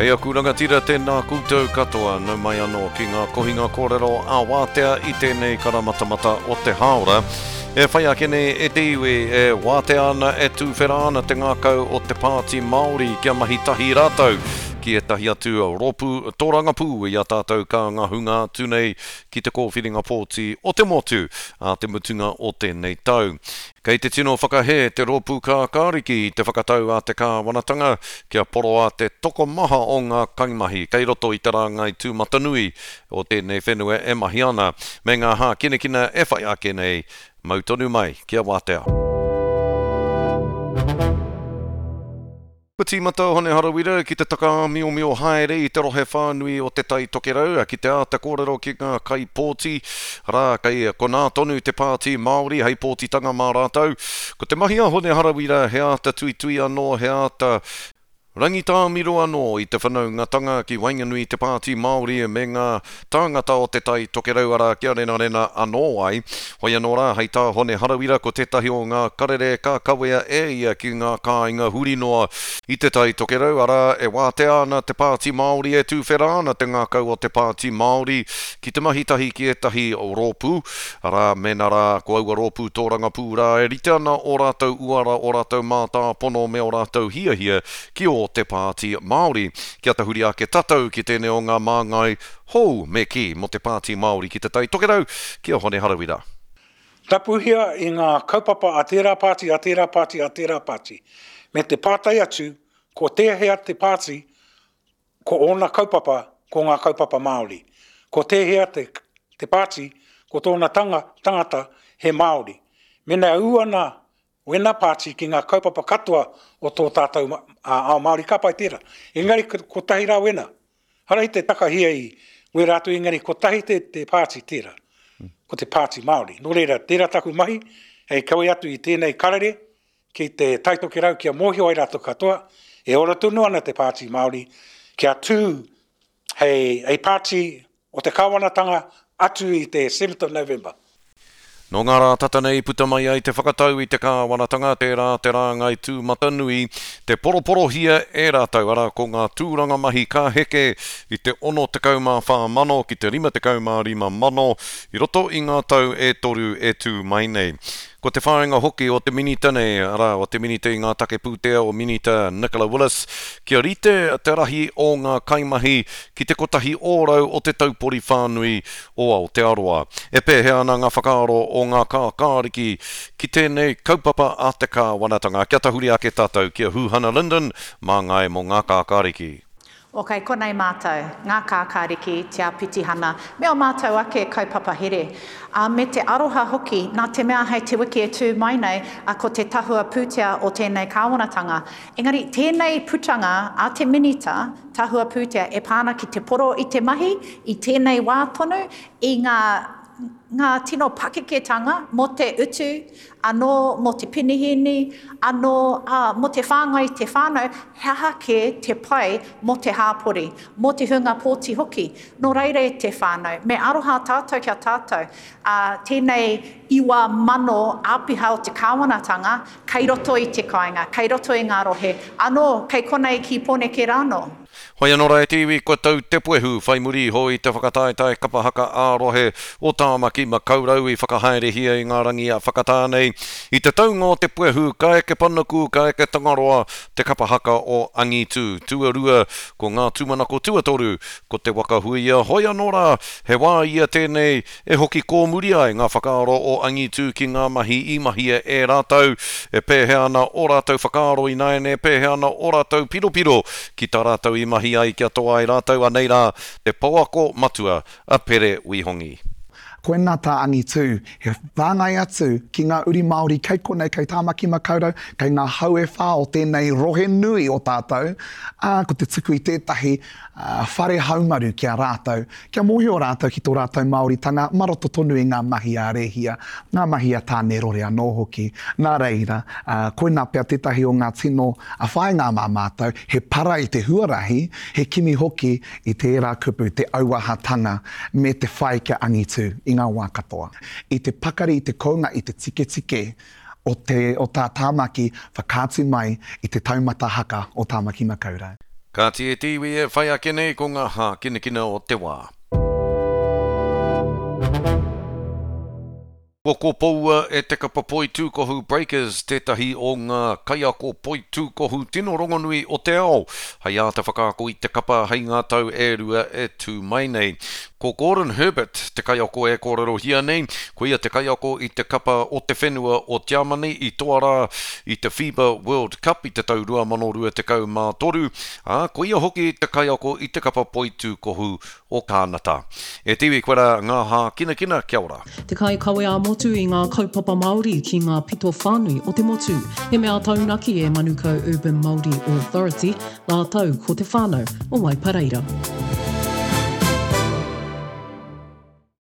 E aku rangatira, tēnā koutou katoa, nau mai anō ki ngā kohinga kōrero ā-wātea i tēnei karamatamata o te hāora. E whai ake nei e te iwi, e wātea ana, e tūwhera ana te ngākau o te Pāti Māori kia mahi tahi rātou ki ētahi atu rōpū tōrangapū i a tātou ka ngahunga atu nei ki te kōwhiringa pōti o te motu ā te mutunga o tēnei tau. Kei te tino whakahē te Rōpū Kākāriki i te whakatau a te kāwanatanga kia poroa te tokomaha o ngā kaimahi kei roto i te rāngai tūmatanui o tēnei whenua e mahi ana, me ngā hākinakina e whai ake nei, mau tonu mai kia wātea. Kua tīmata a Hone Harawira ki te takaāmiomio haere i te rohe whānui o Te Tai Tokerau ki te āta kōrero ki ngā kaipōti, arā, kei konā tonu te Pāti Māori hei pōtitanga mā rātou. Ko te mahi a Hone Harawira he āta tuitui anō, he āta rangitāmiro anō i te whanaungatanga ki waenganui i te Pāti Māori me ngā tāngata o Te Tai Tokerau, arā, kia renarena anō ai. Hoi anō rā, hei tā Hone Harawira, ko tētahi o ngā karere ka kawea e ia ki ngā kāinga huri noa i Te Tai Tokerau, arā, e wātea ana te Pāti Māori, e tūwhera ana te ngākau o te Pāti Māori ki te mahi tahi ki ētahi rōpū, arā, mēnā rā ko aua rōpū tōrangapū rā e rite ana ō rātou uara, ō rātou mātāpono me ō rātou hiahia ki ō te Pāti Māori. Kia tahuri ake tatou ki tēnei o ngā māngai hou, me kī, mō te Pāti Māori ki Te Tai Tokerau, ki a Hone Harawira. Tapuhia i ngā kaupapa a tērā pāti, a tērā pāti, a tērā pāti, me te pātai atu ko tēhea te pāti ko ōna kaupapa ko ngā kaupapa Māori, ko tēhea te, te pāti ko tōna tanga, tangata he Māori. Mēnā e ū ana Wena pāti ki ngā kaupapa katoa o tō tātou ao Māori, ka pai tērā. Engari kotahi rā wena. Hara i te takahia i wera atu engari kotahi te, te pāti tērā. Ko te pāti Māori. Nō reira, tērā taku mahi hei kawe atu i tēnei karere ki te Taitokerau kia mōhio ai rātou katoa, e ora tonu ana te pāti Māori kia tū hei, hei pāti o te kāwanatanga atu i te 7th of November. Nō ngā rā tata nei puta mai ai te whakatau i te kāwanatanga, tērā te rāngai tūmatanui, te poroporohia e rātou, arā, ko ngā tūranga mahi ka heke i te 64 mano ki te 55 mano i roto i ngā tau e toru e tū mai nei. Ko te whāinga hoki o te Minita nei, arā, o te Minita i ngā take pūtea o Minita Nicola Willis, kia rite te rahi o ngā kaimahi ki te 1% o te taupori whānui o Aotearoa. E pēhea ana ngā whakaaro o ngā kākāriki ki tēnei kaupapa a te kāwanatanga? Kia tahuri ake tātou ki a Huhana Lyndon, māngai mō ngā kākāriki. O kei konei mātou, ngā kākāriki, te āpitihana, me ō mātou ake kaupapa here. Ā, me te aroha hoki, nā te mea hei te wiki e tū mai nei, ā, ko te tahua pūtea o tēnei kāwanatanga. Engari, tēnei putanga a te Minita, tahua pūtea, e pā ana ki te poro i te mahi, i tēnei wā tonu, i ngā, ngā tino pakeketanga mō te utu, anō mō te penihīni, anō, ā, mō te whāngai i te whānau, he aha kē te pai mō te hāpori, mō te hunga pōti hoki. Nō reira e te whānau, me aroha tātou ki a tātou, ā, tēnei 9,000 āpiha o te kāwanatanga kei roto i te kāinga, kei roto i ngā rohe, anō, kei konei ki Pōneke rānō. Hoi anō rā e te iwi, kua tau te puehu whai muri iho i te whakataetae kapa haka ā-rohe o Tāmaki Makaurau i whakahaerehia i ngā rangi a whakatā nei. I te taunga o te puehu, ka eke panuku, ka eke Tangaroa, te kapa haka o Angitu. Tuarua, ko ngā tūmanako tuatoru, ko Te Waka Huia. Hoi anō rā, he wā ia tēnei E hoki kōmuri ai ngā whakaaro o Angitu ki ngā mahi i mahia e rātou, e pēhea ana ō rātou whakaaro ināiane, e pēhea ana ō rātou piropiro ki tā rātou i mahi ai kia toa ai rātou, anei rā te pouako matua a Pere Wihongi. Koinā tā Angitu, he whāngai atu ki ngā uri Māori kei konei, kei Tāmaki Makaurau, kei ngā hau e whā o tēnei rohe nui o tātou, ā, ko te tuku i tētahi whare haumaru ki a rātou, Kia mōhio rātou ki tō rātou Māoritanga mā roto tonu i ngā mahi a Rēhia, ngā mahi a Tānerore anō hoki. Nā reira, koinā pea tētahi o ngā tino whāinga mā mātou, he para i te huarahi, he kimi hoki i tērā kupu, te auahatanga me te whai kia angitu i ngā wā katoa. I te pakari, i te kounga, i te tiketike o te, o tā Tāmaki whakaatu mai i te taumata haka o Tāmaki Makaurau. Kāti e te iwi e whai ake nei ko ngā hākinakina o te wā. Kua kopoua e te kapa poitūkohu Breakers tētahi o ngā kaiako poitūkohu tino rongonui o te ao hei āta whakaako i te kapa hei ngā tau e rua e tū mai nei. Ko Gordon Herbert te kaiako e kōrerohia nei, koia te kaiako i te kapa o te whenua o Tiamani i toa rā i te FIBA World Cup i te tau 2023, ā, koia hoki te kaiako i te kapa poitūkohu o Kānata. E te iwi koe rā ngā hākinakina, kia ora. Te kaikawe ā-motu i ngā kaupapa Māori ki ngā pito whānui o te motu. He mea taunaki e Manukau Urban Māori Authority rātou ko te whānau o Waipareira.